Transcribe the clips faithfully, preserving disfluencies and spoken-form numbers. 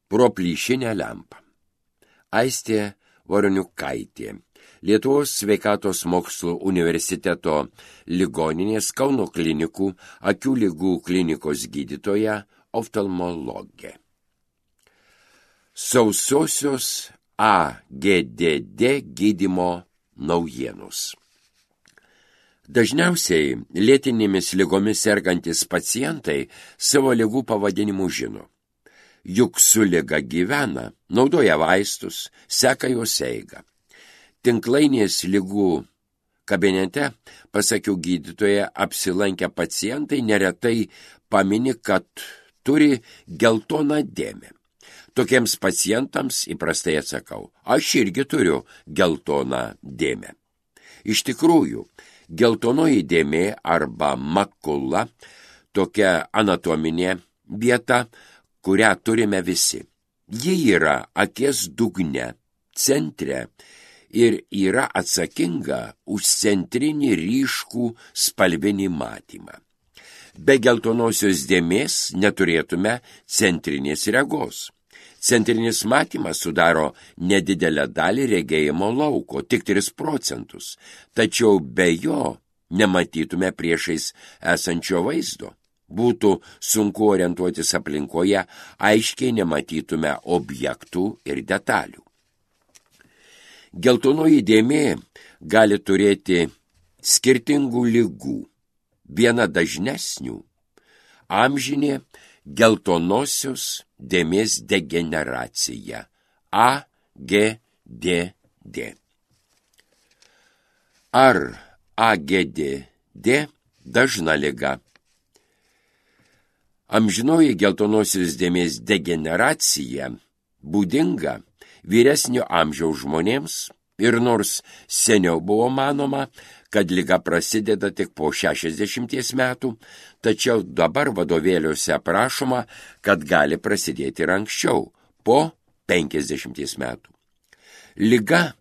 pro plyšinę lempą. Aistė Voroniukaitė, Lietuvos sveikatos mokslų universiteto ligoninės Kauno klinikų akių ligų klinikos gydytoja, oftalmologė. Sausosios A G D D gydymo naujienos. Dažniausiai lėtinėmis ligomis sergantis pacientai savo ligų pavadinimų žino. Juk su liga gyvena, naudoja vaistus, seka jos eigą. Tinklainės ligų kabinete, pasakiau gydytoje, apsilankę pacientai neretai pamini, kad turi geltoną dėmę. Tokiems pacientams įprastai atsakau, aš irgi turiu geltoną dėmę. Iš tikrųjų, geltonoji dėmė arba makula tokia anatominė vieta, kurią turime visi. Ji yra akies dugne, centre ir yra atsakinga už centrinį ryškų spalvinį matymą. Be geltonosios dėmės neturėtume centrinės regos. Centrinis matymas sudaro nedidelę dalį regėjimo lauko, tik tris procentus, tačiau be jo nematytume priešais esančio vaizdo. Būtų sunku orientuotis aplinkoje, aiškiai nematytume objektų ir detalių. Geltonoji dėmė gali turėti skirtingų ligų. Viena dažnesnių – amžinė geltonosios dėmės degeneracija – A G D D. Ar A G D D dažna liga? Amžinoji geltonosios dėmės degeneracija būdinga vyresnio amžiaus žmonėms ir nors seniau buvo manoma, kad liga prasideda tik po šešiasdešimties metų, tačiau dabar vadovėliuose aprašoma, kad gali prasidėti ir anksčiau, po penkiasdešimties metų. Liga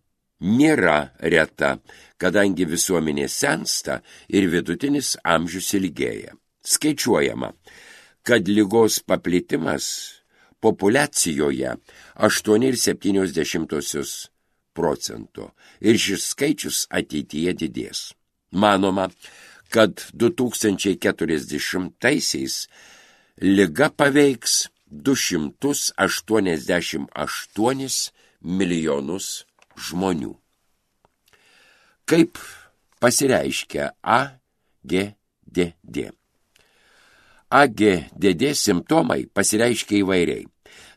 nėra reta, kadangi visuomenė sensta ir vidutinis amžius ilgėja. Skaičiuojama, kad ligos paplitimas populiacijoje aštuoni ir septynios dešimtosios procento ir šis skaičius ateityje didės. Manoma, kad du tūkstančiai keturiasdešimtaisiais liga paveiks du šimtus aštuoniasdešimt aštuonis milijonus žmonių. Kaip pasireiškia A G D D? A G D D simptomai pasireiškia įvairiai,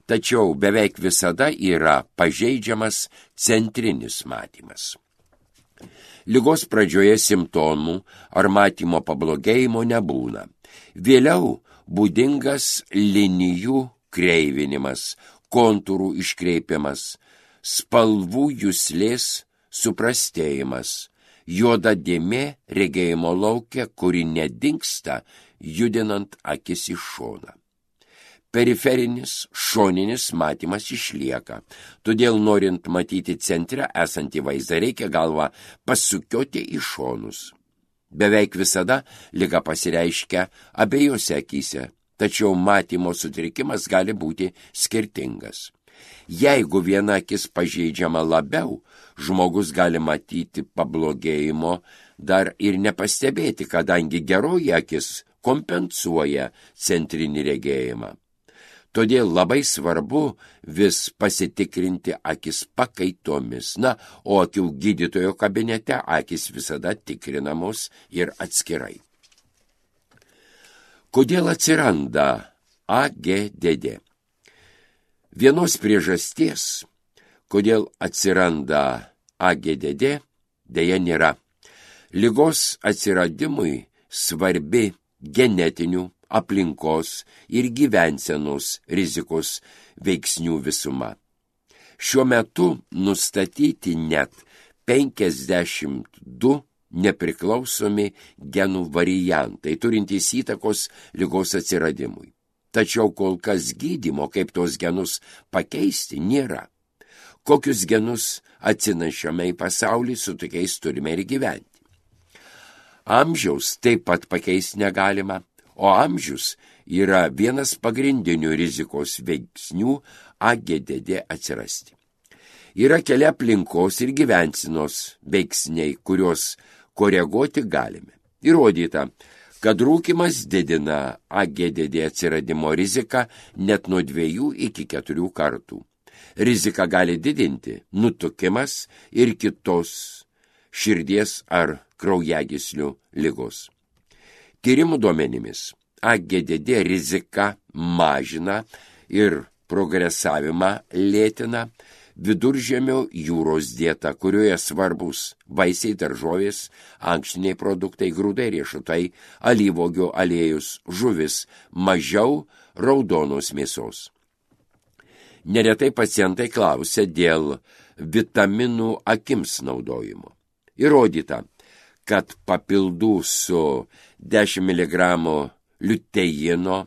tačiau beveik visada yra pažeidžiamas centrinis matymas. Ligos pradžioje simptomų ar matymo pablogėjimo nebūna. Vėliau būdingas linijų kreivinimas, kontūrų iškreipimas, spalvų juslės suprastėjimas, juoda dėmė regėjimo lauke, kuri nedingsta, judinant akis į šoną. Periferinis, šoninis matymas išlieka, todėl norint matyti centre esantį vaizdą, reikia galvą pasukioti į šonus. Beveik visada liga pasireiškia abiejose akyse, tačiau matymo sutrikimas gali būti skirtingas. Jeigu viena akis pažeidžiama labiau, žmogus gali matyti pablogėjimo dar ir nepastebėti, kadangi geroji akis kompensuoja centrinį regėjimą. Todėl labai svarbu vis pasitikrinti akis pakaitomis. Na, o akių gydytojo kabinete akis visada tikrinamos ir atskirai. Kodėl atsiranda A G D D? Vienos priežasties, kodėl atsiranda A G D D, deja nėra. Ligos atsiradimui svarbi genetinių, aplinkos ir gyvensenos rizikos veiksnių visuma. Šiuo metu nustatyti net penkiasdešimt du nepriklausomi genų variantai, turintys įtakos ligos atsiradimui. Tačiau kol kas gydymo, kaip tos genus pakeisti, nėra. Kokius genus atsinešame į pasaulį, su tokiais turime ir gyventi. Amžiaus taip pat pakeisti negalima, o amžius yra vienas pagrindinių rizikos veiksnių A G D D atsirasti. Yra keli aplinkos ir gyvensenos veiksniai, kuriuos koreguoti galime. Įrodyta, kad rūkymas didina A G D D atsiradimo riziką net nuo dviejų iki keturių kartų. Riziką gali didinti nutukimas ir kitos širdies ar kraujagyslių ligos. Tyrimų duomenimis A G D D rizika mažina ir progresavimą lėtina Viduržemio jūros dieta, kurioje svarbus vaisiai, daržovės, ankštiniai produktai, grūdai, riešutai, alyvuogių aliejus, žuvis, mažiau raudonos mėsos. Neretai pacientai klausia dėl vitaminų akims naudojimo. Įrodyta, kad papildų su dešimt miligramų liuteino,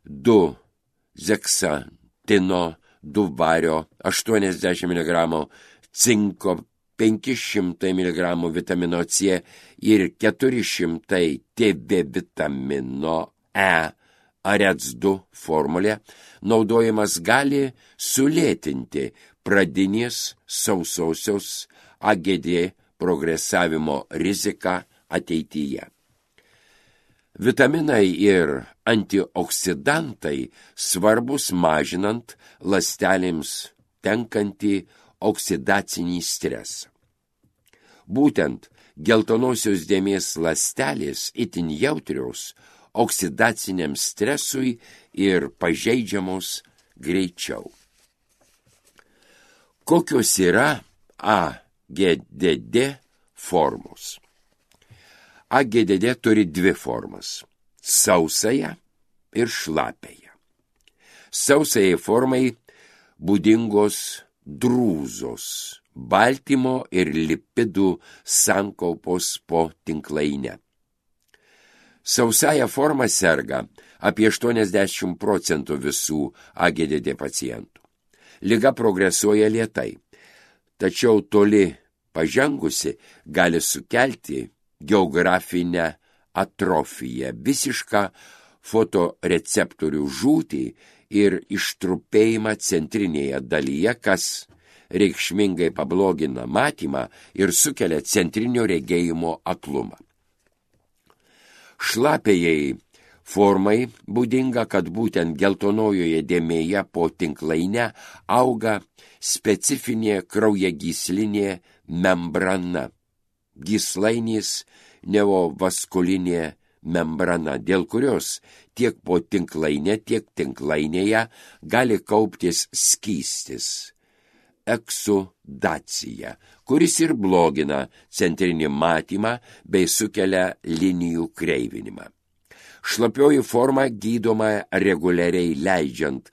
du zeksantino, du vario, aštuoniasdešimt miligramų cinko, penki šimtai miligramų vitamino C ir keturi šimtai T B vitamino E A R E C du formulė naudojimas gali sulėtinti pradinės sausosios A G D progresavimo riziką ateityje. Vitaminai ir antioksidantai svarbus mažinant ląstelėms tenkantį oksidacinį stresą. Būtent geltonosios dėmės ląstelės itin jautrios oksidaciniam stresui ir pažeidžiamos greičiau. Kokios yra A G D D formos? A G D D turi dvi formas – sausąją ir šlapiąją. Sausajai formai būdingos drūzos, baltymo ir lipidų sankaupos po tinklaine. Sausąją formą serga apie aštuoniasdešimt procentų visų A G D D pacientų. Liga progresuoja lėtai, tačiau toli pažengusi gali sukelti geografinę atrofiją, visišką fotoreceptorių žūtį ir ištrupėjimą centrinėje dalyje, kas reikšmingai pablogina matymą ir sukelia centrinio regėjimo aklumą. Šlapiajai formai būdinga, kad būtent geltonojoje dėmėje po tinklaine auga specifinė kraujagyslinė membrana, gyslainės neovaskulinė membrana, dėl kurios tiek po tinklainė, tiek tinklainėje gali kauptis skystis, eksudacija, kuris ir blogina centrinį matymą bei sukelia linijų kreivinimą. Šlapioji forma gydoma reguliariai leidžiant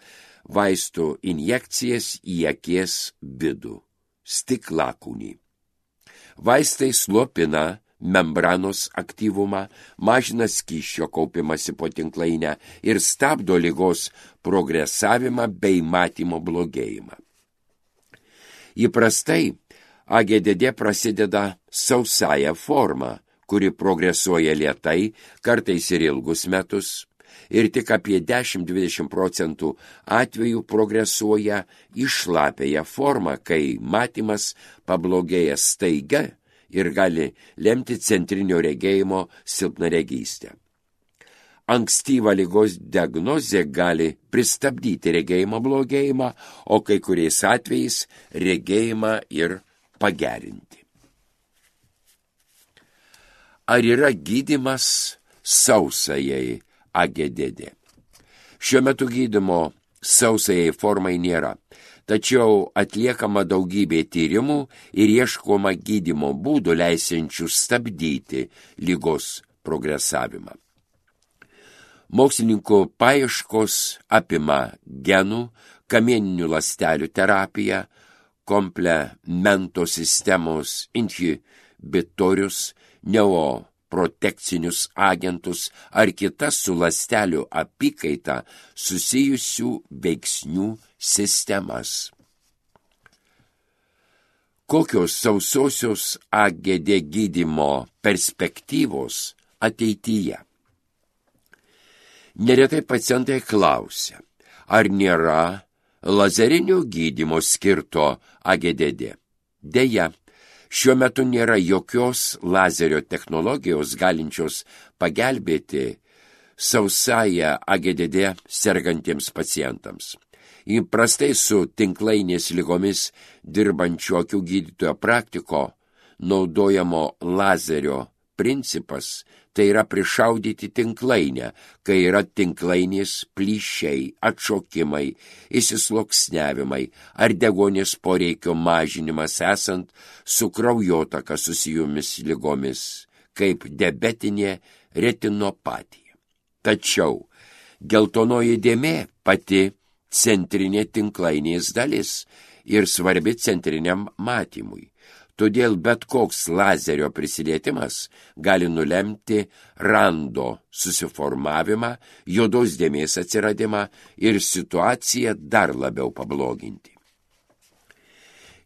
vaistų injekcijas į akies vidų, stiklakūnį. Vaistai slopina membranos aktyvumą, mažina skysčio kaupimąsi po tinklainę ir stabdo ligos progresavimą bei matymo blogėjimą. Įprastai A G D D prasideda sausąją formą, kuri progresuoja lėtai, kartais ir ilgus metus, ir tik apie dešimt iki dvidešimt procentų atvejų progresuoja į šlapiąją formą, kai matymas pablogėja staiga ir gali lemti centrinio regėjimo silpnaregystę. Ankstyva ligos diagnozė gali pristabdyti regėjimo blogėjimą, o kai kuriais atvejais regėjimą ir pagerinti. Ar yra gydymas sausajai A G D D? Šiuo metu gydymo sausajai formai nėra, tačiau atliekama daugybė tyrimų ir ieškoma gydymo būdų leisiančių stabdyti ligos progresavimą. Mokslininkų paieškos apima genų, kamieninių ląstelių terapiją, komplemento sistemos inhibitorius, neoprotekcinius agentus ar kitas su ląstelių apykaita susijusių veiksnių sistemas. Kokios sausosios A G D gydymo perspektyvos ateityje? Neretai pacientai klausia, ar nėra lazerinio gydymo skirto A G D D. Deja, šiuo metu nėra jokios lazerio technologijos galinčios pagelbėti sausąją A G D D sergantiems pacientams. Įprastai su tinklainės ligomis dirbančių akių gydytojo praktiko naudojamo lazerio principas tai yra prišaudyti tinklainę, kai yra tinklainės plyšiai, atšokimai, įsisluoksniavimai ar deguonies poreikio mažinimas esant su kraujotaka susijomis ligomis, kaip diabetinė retinopatija. Tačiau geltonoji dėmė pati centrinė tinklainės dalis ir svarbi centriniam matymui. Todėl bet koks lazerio prisilietimas gali nulemti rando susiformavimą, juodos dėmės atsiradimą ir situaciją dar labiau pabloginti.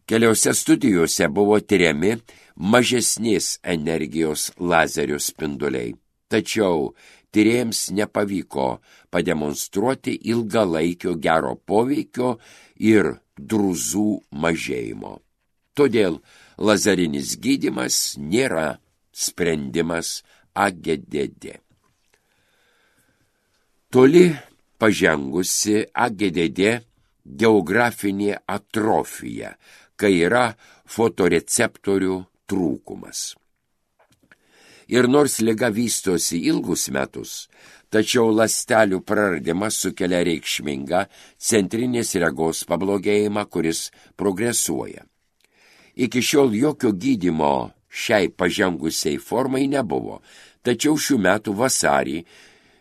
Keliose studijose buvo tyriami mažesnės energijos lazerio spinduliai, tačiau tyrėjams nepavyko pademonstruoti ilgalaikio gero poveikio ir drūzų mažėjimo. Todėl lazerinis gydymas nėra sprendimas A G D D. Toli pažengusi A G D D geografinė atrofija, kai yra fotoreceptorių trūkumas. Ir nors liga vystosi ilgus metus, tačiau ląstelių praradimas sukelia reikšmingą centrinės regos pablogėjimą, kuris progresuoja. Iki šiol jokio gydymo šiai pažengusiai formai nebuvo, tačiau šių metų vasarį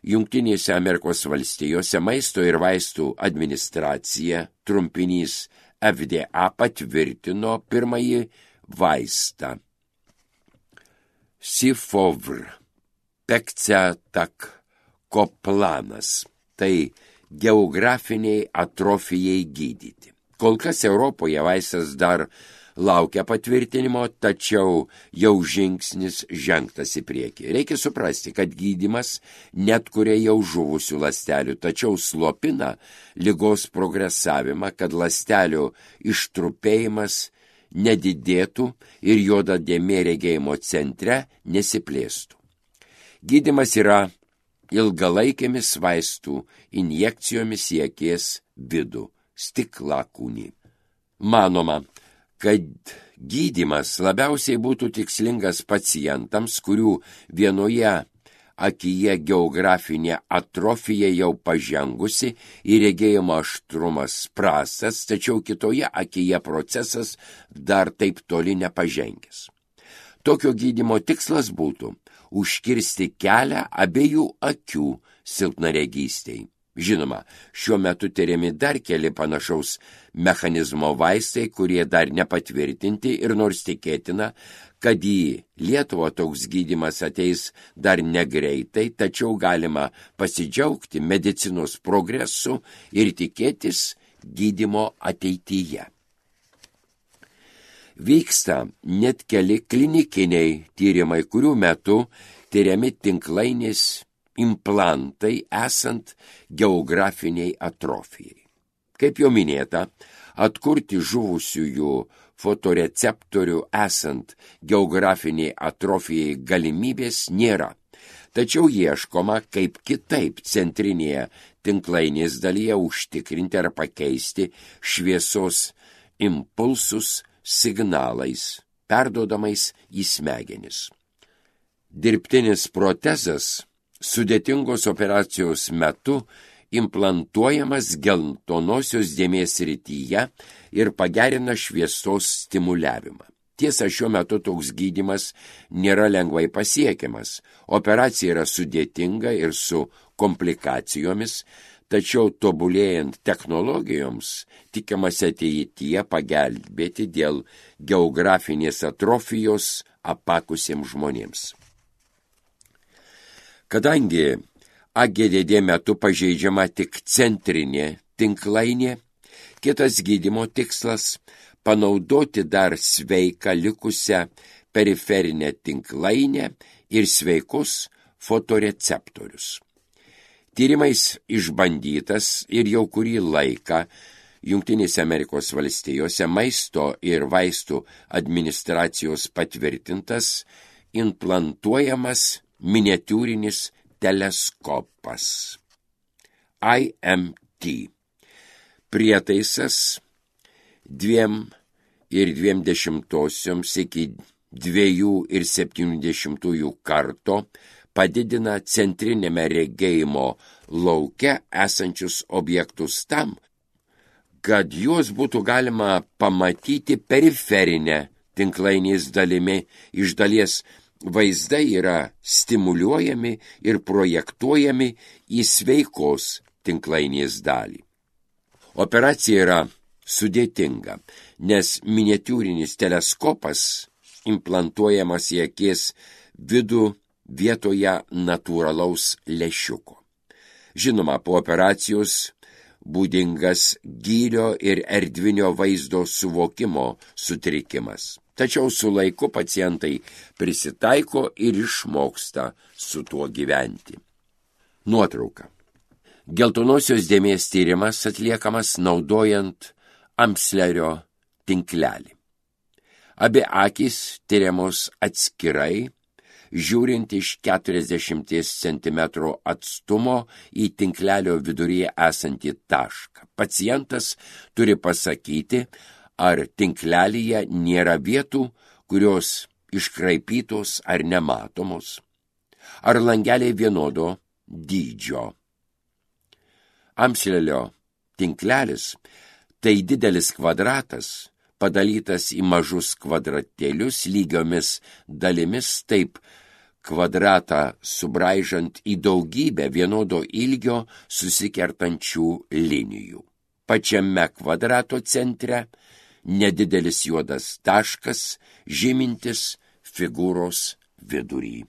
Jungtinėse Amerikos valstijose maisto ir vaistų administracija, trumpinys F D A, patvirtino pirmąjį vaistą Sifovr pegcetakoplanas, tai geografiniai atrofijai gydyti. Kol kas Europoje vaistas dar laukia patvirtinimo, tačiau jau žingsnis žengtas į priekį. Reikia suprasti, kad gydymas netkuria jau žuvusių ląstelių, tačiau slopina ligos progresavimą, kad ląstelių ištrupėjimas nedidėtų ir juoda dėmė regėjimo centre nesiplėstų. Gydymas yra ilgalaikėmis vaistų injekcijomis į akies vidų, stiklakūnį. Manoma, kad gydymas labiausiai būtų tikslingas pacientams, kurių vienoje akyje geografinė atrofija jau pažengusi ir regėjimo aštrumas prastas, tačiau kitoje akyje procesas dar taip toli nepažengęs. Tokio gydymo tikslas būtų užkirsti kelią abiejų akių silpnaregystei. Žinoma, šiuo metu tyriami dar keli panašaus mechanizmo vaistai, kurie dar nepatvirtinti ir nors tikėtina, kad į Lietuvą toks gydymas ateis dar negreitai, tačiau galima pasidžiaugti medicinos progresu ir tikėtis gydymo ateityje. Vyksta net keli klinikiniai tyrimai, kurių metu tyriami tinklainės implantai esant geografiniai atrofijai. Kaip jau minėta, atkurti žuvusiųjų fotoreceptorių esant geografiniai atrofijai galimybės nėra, tačiau ieškoma, kaip kitaip centrinėje tinklainės dalyje užtikrinti ar pakeisti šviesos impulsus signalais, perduodamais į smegenis. Dirbtinis protezas sudėtingos operacijos metu implantuojamas geltonosios dėmės srityje ir pagerina šviesos stimuliavimą. Tiesa, šiuo metu toks gydymas nėra lengvai pasiekiamas. Operacija yra sudėtinga ir su komplikacijomis, tačiau tobulėjant technologijoms tikimasi ateityje pagelbėti dėl geografinės atrofijos apakusiems žmonėms. Kadangi A G D D metu pažeidžiama tik centrinė tinklainė, kitas gydymo tikslas – panaudoti dar sveiką likusią periferinę tinklainę ir sveikus fotoreceptorius. Tyrimais išbandytas ir jau kurį laiką Jungtinėse Amerikos valstijose maisto ir vaistų administracijos patvirtintas implantuojamas miniatiūrinis teleskopas I M T. Prietaisas dviem ir dviem dešimtosioms iki dviejų ir septynių dešimtųjų karto padidina centrinėme regėjimo lauke esančius objektus tam, kad juos būtų galima pamatyti periferinę tinklainės dalimi. Iš dalies vaizdai yra stimuliuojami ir projektuojami į sveikos tinklainės dalį. Operacija yra sudėtinga, nes miniatiūrinis teleskopas implantuojamas į akies vidų vietoje natūralaus lęšiuko. Žinoma, po operacijos būdingas gylio ir erdvinio vaizdo suvokimo sutrikimas. Tačiau su laiku pacientai prisitaiko ir išmoksta su tuo gyventi. Nuotrauka. Geltonosios dėmės tyrimas atliekamas naudojant Amslerio tinklelį. Abi akys tyriamos atskirai, žiūrint iš keturiasdešimties centimetrų atstumo į tinklelio viduryje esantį tašką. Pacientas turi pasakyti, ar tinklelyje nėra vietų, kurios iškraipytos ar nematomos, ar langeliai vienodo dydžio. Amslelio tinklelis tai didelis kvadratas, padalytas į mažus kvadratėlius lygiomis dalimis, taip kvadratą subraižant į daugybę vienodo ilgio susikertančių linijų. Pačiame kvadrato centre nedidelis juodas taškas, žymintis figūros vidurį.